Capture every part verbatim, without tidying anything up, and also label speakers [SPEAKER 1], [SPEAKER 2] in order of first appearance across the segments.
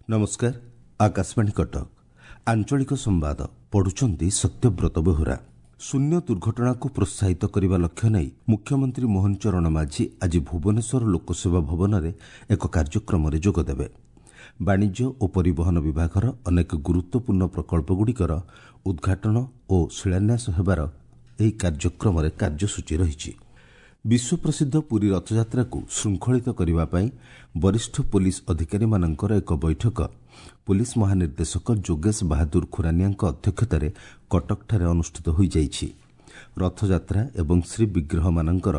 [SPEAKER 1] ନମସ୍କାର, ଆକାଶବାଣୀ କଟକ, ଆଞ୍ଚଳିକ ସମ୍ବାଦ ପଢୁଛନ୍ତି ସତ୍ୟବ୍ରତ ବେହୁରା। ଶୂନ୍ୟ ଦୁର୍ଘଟଣାକୁ ପ୍ରୋତ୍ସାହିତ କରିବା ଲକ୍ଷ୍ୟ ନେଇ ମୁଖ୍ୟମନ୍ତ୍ରୀ ମୋହନ ଚରଣ ମାଝୀ ଆଜି ଭୁବନେଶ୍ୱର ଲୋକସେବା ଭବନରେ ଏକ କାର୍ଯ୍ୟକ୍ରମରେ ଯୋଗଦେବେ। ବାଣିଜ୍ୟ ଓ ପରିବହନ ବିଭାଗର ଅନେକ ଗୁରୁତ୍ୱପୂର୍ଣ୍ଣ ପ୍ରକଳ୍ପଗୁଡ଼ିକର ଉଦ୍ଘାଟନ ଓ ଶିଳାନ୍ୟାସ ହେବାର ଏହି କାର୍ଯ୍ୟକ୍ରମରେ କାର୍ଯ୍ୟସୂଚୀ ରହିଛି। ବିଶ୍ୱପ୍ରସିଦ୍ଧ ପୁରୀ ରଥଯାତ୍ରାକୁ ଶୃଙ୍ଖଳିତ କରିବା ପାଇଁ ବରିଷ୍ଠ ପୋଲିସ ଅଧିକାରୀମାନଙ୍କର ଏକ ବୈଠକ ପୋଲିସ ମହାନିର୍ଦ୍ଦେଶକ ଯୋଗେଶ ବାହାଦୁର ଖୁରାନିଆଙ୍କ ଅଧ୍ୟକ୍ଷତାରେ କଟକଠାରେ ଅନୁଷ୍ଠିତ ହୋଇଯାଇଛି। ରଥଯାତ୍ରା ଏବଂ ଶ୍ରୀବିଗ୍ରହମାନଙ୍କର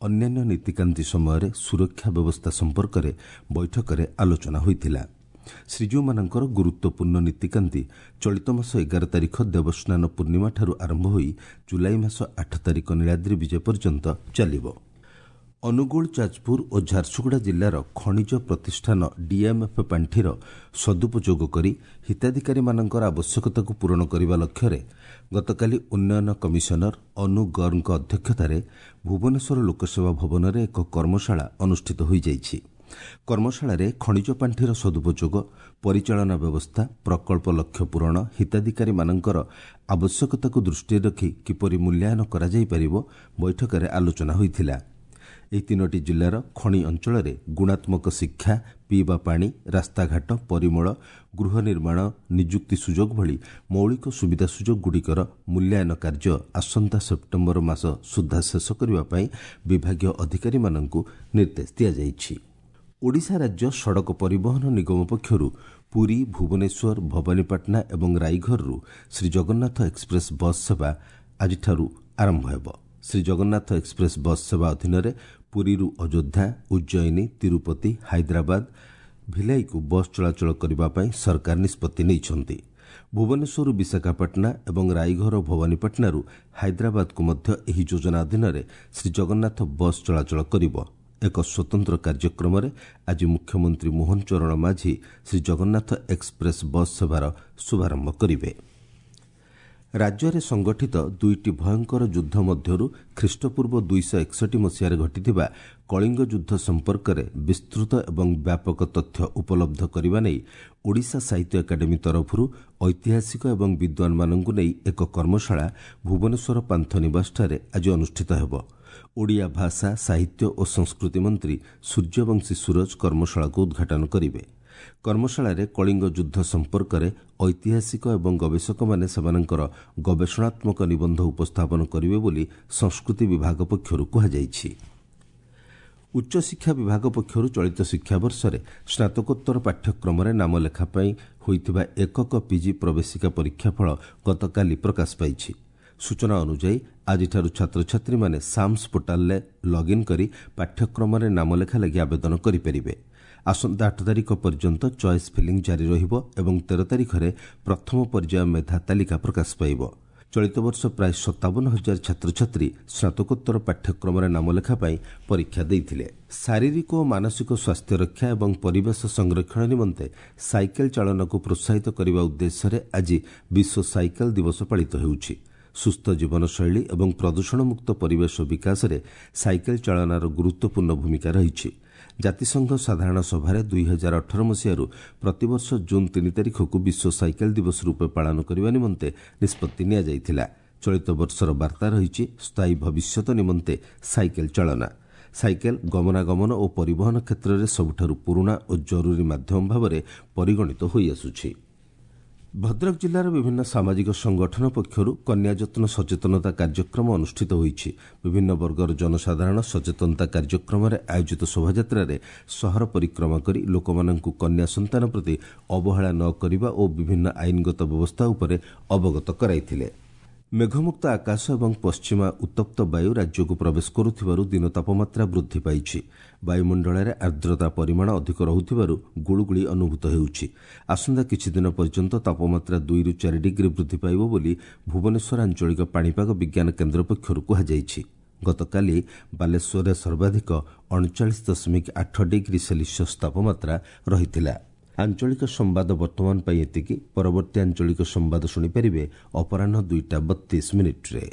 [SPEAKER 1] ଅନ୍ୟାନ୍ୟ ନୀତିକାନ୍ତି ସମୟରେ ସୁରକ୍ଷା ବ୍ୟବସ୍ଥା ସମ୍ପର୍କରେ ବୈଠକରେ ଆଲୋଚନା ହୋଇଥିଲା। ଶ୍ରୀଜୀଉମାନଙ୍କର ଗୁରୁତ୍ୱପୂର୍ଣ୍ଣ ନୀତିକାନ୍ତି ଚଳିତ ମାସ ଏଗାର ତାରିଖ ଦେବସ୍ନାନ ପୂର୍ଣ୍ଣିମାଠାରୁ ଆରମ୍ଭ ହୋଇ ଜୁଲାଇ ମାସ ଆଠ ତାରିଖ ନୀଳାଦ୍ରି ବିଜେ ପର୍ଯ୍ୟନ୍ତ ଚାଲିବ। ଅନୁଗୁଳ, ଯାଜପୁର ଓ ଝାରସୁଗୁଡ଼ା ଜିଲ୍ଲାର ଖଣିଜ ପ୍ରତିଷ୍ଠାନ ଡିଏମ୍ଏଫ୍ ପାଣ୍ଠିର ସଦୁପଯୋଗ କରି ହିତାଧିକାରୀମାନଙ୍କର ଆବଶ୍ୟକତାକୁ ପୂରଣ କରିବା ଲକ୍ଷ୍ୟରେ ଗତକାଲି ଉନ୍ନୟନ କମିଶନର ଅନୁ ଗର୍ଗଙ୍କ ଅଧ୍ୟକ୍ଷତାରେ ଭୁବନେଶ୍ୱର ଲୋକସେବା ଭବନରେ ଏକ କର୍ମଶାଳା ଅନୁଷ୍ଠିତ ହୋଇଯାଇଛି। କର୍ମଶାଳାରେ ଖଣିଜ ପାଣ୍ଠିର ସଦୁପଯୋଗ, ପରିଚାଳନା ବ୍ୟବସ୍ଥା, ପ୍ରକଳ୍ପ ଲକ୍ଷ୍ୟ ପୂରଣ, ହିତାଧିକାରୀମାନଙ୍କର ଆବଶ୍ୟକତାକୁ ଦୃଷ୍ଟିରେ ରଖି କିପରି ମୂଲ୍ୟାୟନ କରାଯାଇପାରିବ ବୈଠକରେ ଆଲୋଚନା ହୋଇଥିଲା। ଏହି ତିନୋଟି ଜିଲ୍ଲାର ଖଣି ଅଞ୍ଚଳରେ ଗୁଣାତ୍ମକ ଶିକ୍ଷା, ପିଇବା ପାଣି, ରାସ୍ତାଘାଟ, ପରିମଳ, ଗୃହ ନିର୍ମାଣ, ନିଯୁକ୍ତି ସୁଯୋଗ ଭଳି ମୌଳିକ ସୁବିଧା ସୁଯୋଗଗୁଡ଼ିକର ମୂଲ୍ୟାୟନ କାର୍ଯ୍ୟ ଆସନ୍ତା ସେପ୍ଟେମ୍ବର ମାସ ସୁଦ୍ଧା ଶେଷ କରିବା ପାଇଁ ବିଭାଗୀୟ ଅଧିକାରୀମାନଙ୍କୁ ନିର୍ଦ୍ଦେଶ ଦିଆଯାଇଛି। ଓଡ଼ିଶା ରାଜ୍ୟ ସଡ଼କ ପରିବହନ ନିଗମ ପକ୍ଷରୁ ପୁରୀ, ଭୁବନେଶ୍ୱର, ଭବାନୀପାଟଣା ଏବଂ ରାଇଘରରୁ ଶ୍ରୀଜଗନ୍ନାଥ ଏକ୍ସପ୍ରେସ୍ ବସ୍ ସେବା ଆଜିଠାରୁ ଆରମ୍ଭ ହେବ। ଶ୍ରୀଜଗନ୍ନାଥ ଏକ୍ସପ୍ରେସ୍ ବସ୍ ସେବା ଅଧୀନରେ ପୁରୀରୁ ଅଯୋଧ୍ୟା, ଉଜ୍ଜୟିନୀ, ତିରୁପତି, ହାଇଦ୍ରାବାଦ, ଭିଲାଇକୁ ବସ୍ ଚଳାଚଳ କରିବା ପାଇଁ ସରକାର ନିଷ୍ପତ୍ତି ନେଇଛନ୍ତି। ଭୁବନେଶ୍ୱରରୁ ବିଶାଖାପାଟଣା ଏବଂ ରାଇଘର ଓ ଭବାନୀପାଟଣାରୁ ହାଇଦ୍ରାବାଦକୁ ମଧ୍ୟ ଏହି ଯୋଜନା ଅଧୀନରେ ଶ୍ରୀଜଗନ୍ନାଥ ବସ୍ ଚଳାଚଳ କରିବ। ଏକ ସ୍ୱତନ୍ତ୍ର କାର୍ଯ୍ୟକ୍ରମରେ ଆଜି ମୁଖ୍ୟମନ୍ତ୍ରୀ ମୋହନ ଚରଣ ମାଝୀ ଶ୍ରୀଜଗନ୍ନାଥ ଏକ୍ସପ୍ରେସ୍ ବସ୍ ସେବାର ଶୁଭାରମ୍ଭ କରିବେ। ରାଜ୍ୟରେ ସଂଗଠିତ ଦୁଇଟି ଭୟଙ୍କର ଯୁଦ୍ଧ ମଧ୍ୟରୁ ଖ୍ରୀଷ୍ଟପୂର୍ବ ଦୁଇଶହ ଏକଷଠି ମସିହାରେ ଘଟିଥିବା କଳିଙ୍ଗ ଯୁଦ୍ଧ ସମ୍ପର୍କରେ ବିସ୍ତୃତ ଏବଂ ବ୍ୟାପକ ତଥ୍ୟ ଉପଲବ୍ଧ କରିବା ନେଇ ଓଡ଼ିଶା ସାହିତ୍ୟ ଏକାଡେମୀ ତରଫରୁ ଐତିହାସିକ ଏବଂ ବିଦ୍ୱାନମାନଙ୍କୁ ନେଇ ଏକ କର୍ମଶାଳା ଭୁବନେଶ୍ୱର ପାନ୍ଥନିବାସଠାରେ ଆଜି ଅନୁଷ୍ଠିତ ହେବ। ଓଡ଼ିଆ ଭାଷା, ସାହିତ୍ୟ ଓ ସଂସ୍କୃତି ମନ୍ତ୍ରୀ ସୂର୍ଯ୍ୟବଂଶୀ ସୂରଜ କର୍ମଶାଳାକୁ ଉଦ୍ଘାଟନ କରିବେ। କର୍ମଶାଳାରେ କଳିଙ୍ଗ ଯୁଦ୍ଧ ସମ୍ପର୍କରେ ଐତିହାସିକ ଏବଂ ଗବେଷକମାନେ ସେମାନଙ୍କର ଗବେଷଣାତ୍ମକ ନିବନ୍ଧ ଉପସ୍ଥାପନ କରିବେ ବୋଲି ସଂସ୍କୃତି ବିଭାଗ ପକ୍ଷରୁ କୁହାଯାଇଛି। ଉଚ୍ଚଶିକ୍ଷା ବିଭାଗ ପକ୍ଷରୁ ଚଳିତ ଶିକ୍ଷାବର୍ଷରେ ସ୍ନାତକୋତ୍ତର ପାଠ୍ୟକ୍ରମରେ ନାମଲେଖା ପାଇଁ ହୋଇଥିବା ଏକକ ପିଜି ପ୍ରବେଶିକା ପରୀକ୍ଷାଫଳ ଗତକାଲି ପ୍ରକାଶ ପାଇଛି। ସୂଚନା ଅନୁଯାୟୀ ଆଜିଠାରୁ ଛାତ୍ରଛାତ୍ରୀମାନେ ସାମ୍ସ ପୋର୍ଟାଲରେ ଲଗ୍ଇନ୍ କରି ପାଠ୍ୟକ୍ରମରେ ନାମଲେଖା ଲାଗି ଆବେଦନ କରିପାରିବେ। ଆସନ୍ତା ଆଠ ତାରିଖ ପର୍ଯ୍ୟନ୍ତ ଚଏସ୍ ଫିଲିଂ ଜାରି ରହିବ ଏବଂ ତେର ତାରିଖରେ ପ୍ରଥମ ପର୍ଯ୍ୟାୟ ମେଧା ତାଲିକା ପ୍ରକାଶ ପାଇବ। ଚଳିତ ବର୍ଷ ପ୍ରାୟ ସତାବନ ହଜାର ଛାତ୍ରଛାତ୍ରୀ ସ୍ନାତକୋତ୍ତର ପାଠ୍ୟକ୍ରମରେ ନାମଲେଖା ପାଇଁ ପରୀକ୍ଷା ଦେଇଥିଲେ। ଶାରୀରିକ ଓ ମାନସିକ ସ୍ୱାସ୍ଥ୍ୟ ରକ୍ଷା ଏବଂ ପରିବେଶ ସଂରକ୍ଷଣ ନିମନ୍ତେ ସାଇକେଲ ଚାଳନାକୁ ପ୍ରୋତ୍ସାହିତ କରିବା ଉଦ୍ଦେଶ୍ୟରେ ଆଜି ବିଶ୍ୱ ସାଇକେଲ ଦିବସ ପାଳିତ ହେଉଛି। ସୁସ୍ଥ ଜୀବନଶୈଳୀ ଏବଂ ପ୍ରଦୂଷଣମୁକ୍ତ ପରିବେଶ ବିକାଶରେ ସାଇକେଲ ଚାଳନାର ଗୁରୁତ୍ୱପୂର୍ଣ୍ଣ ଭୂମିକା ରହିଛି। ଜାତିସଂଘ ସାଧାରଣ ସଭାରେ ଦୁଇ ହଜାର ଅଠର ମସିହାରୁ ପ୍ରତିବର୍ଷ ଜୁନ୍ ତିନି ତାରିଖକୁ ବିଶ୍ୱ ସାଇକେଲ ଦିବସ ରୂପେ ପାଳନ କରିବା ନିମନ୍ତେ ନିଷ୍ପତ୍ତି ନିଆଯାଇଥିଲା। ଚଳିତ ବର୍ଷର ବାର୍ତ୍ତା ରହିଛି ସ୍ଥାୟୀ ଭବିଷ୍ୟତ ନିମନ୍ତେ ସାଇକେଲ ଚାଳନା। ସାଇକେଲ ଗମନାଗମନ ଓ ପରିବହନ କ୍ଷେତ୍ରରେ ସବୁଠାରୁ ପୁରୁଣା ଓ ଜରୁରୀ ମାଧ୍ୟମ ଭାବରେ ପରିଗଣିତ ହୋଇଆସୁଛି। ଭଦ୍ରକ ଜିଲ୍ଲାର ବିଭିନ୍ନ ସାମାଜିକ ସଂଗଠନ ପକ୍ଷରୁ କନ୍ୟା ଯତ୍ନ ସଚେତନତା କାର୍ଯ୍ୟକ୍ରମ ଅନୁଷ୍ଠିତ ହୋଇଛି। ବିଭିନ୍ନ ବର୍ଗର ଜନସାଧାରଣ ସଚେତନତା କାର୍ଯ୍ୟକ୍ରମରେ ଆୟୋଜିତ ଶୋଭାଯାତ୍ରାରେ ସହର ପରିକ୍ରମା କରି ଲୋକମାନଙ୍କୁ କନ୍ୟା ସନ୍ତାନ ପ୍ରତି ଅବହେଳା ନ କରିବା ଓ ବିଭିନ୍ନ ଆଇନଗତ ବ୍ୟବସ୍ଥା ଉପରେ ଅବଗତ କରାଇଥିଲେ। ମେଘମୁକ୍ତ ଆକାଶ ଏବଂ ପଶ୍ଚିମା ଉତ୍ତପ୍ତ ବାୟୁ ରାଜ୍ୟକୁ ପ୍ରବେଶ କରୁଥିବାରୁ ଦିନ ତାପମାତ୍ରା ବୃଦ୍ଧି ପାଇଛି। ବାୟୁମଣ୍ଡଳରେ ଆର୍ଦ୍ରତା ପରିମାଣ ଅଧିକ ରହୁଥିବାରୁ ଗୁଳୁଗୁଳି ଅନୁଭୂତ ହେଉଛି। ଆସନ୍ତା କିଛିଦିନ ପର୍ଯ୍ୟନ୍ତ ତାପମାତ୍ରା ଦୁଇରୁ ଚାରି ଡିଗ୍ରୀ ବୃଦ୍ଧି ପାଇବ ବୋଲି ଭୁବନେଶ୍ୱର ଆଞ୍ଚଳିକ ପାଣିପାଗ ବିଜ୍ଞାନ କେନ୍ଦ୍ର ପକ୍ଷରୁ କୁହାଯାଇଛି। ଗତକାଲି ବାଲେଶ୍ୱରରେ ସର୍ବାଧିକ ଅଣଚାଳିଶ ଦଶମିକ ଆଠ ଡିଗ୍ରୀ ସେଲସିୟସ୍ ତାପମାତ୍ରା ରହିଥିଲା। ଆଞ୍ଚଳିକ ସମ୍ବାଦ ବର୍ତ୍ତମାନ ପାଇଁ ଏତିକି। ପରବର୍ତ୍ତୀ ଆଞ୍ଚଳିକ ସମ୍ବାଦ ଶୁଣିପାରିବେ ଅପରାହ୍ନ ଦୁଇଟା ବତିଶ ମିନିଟ୍ରେ।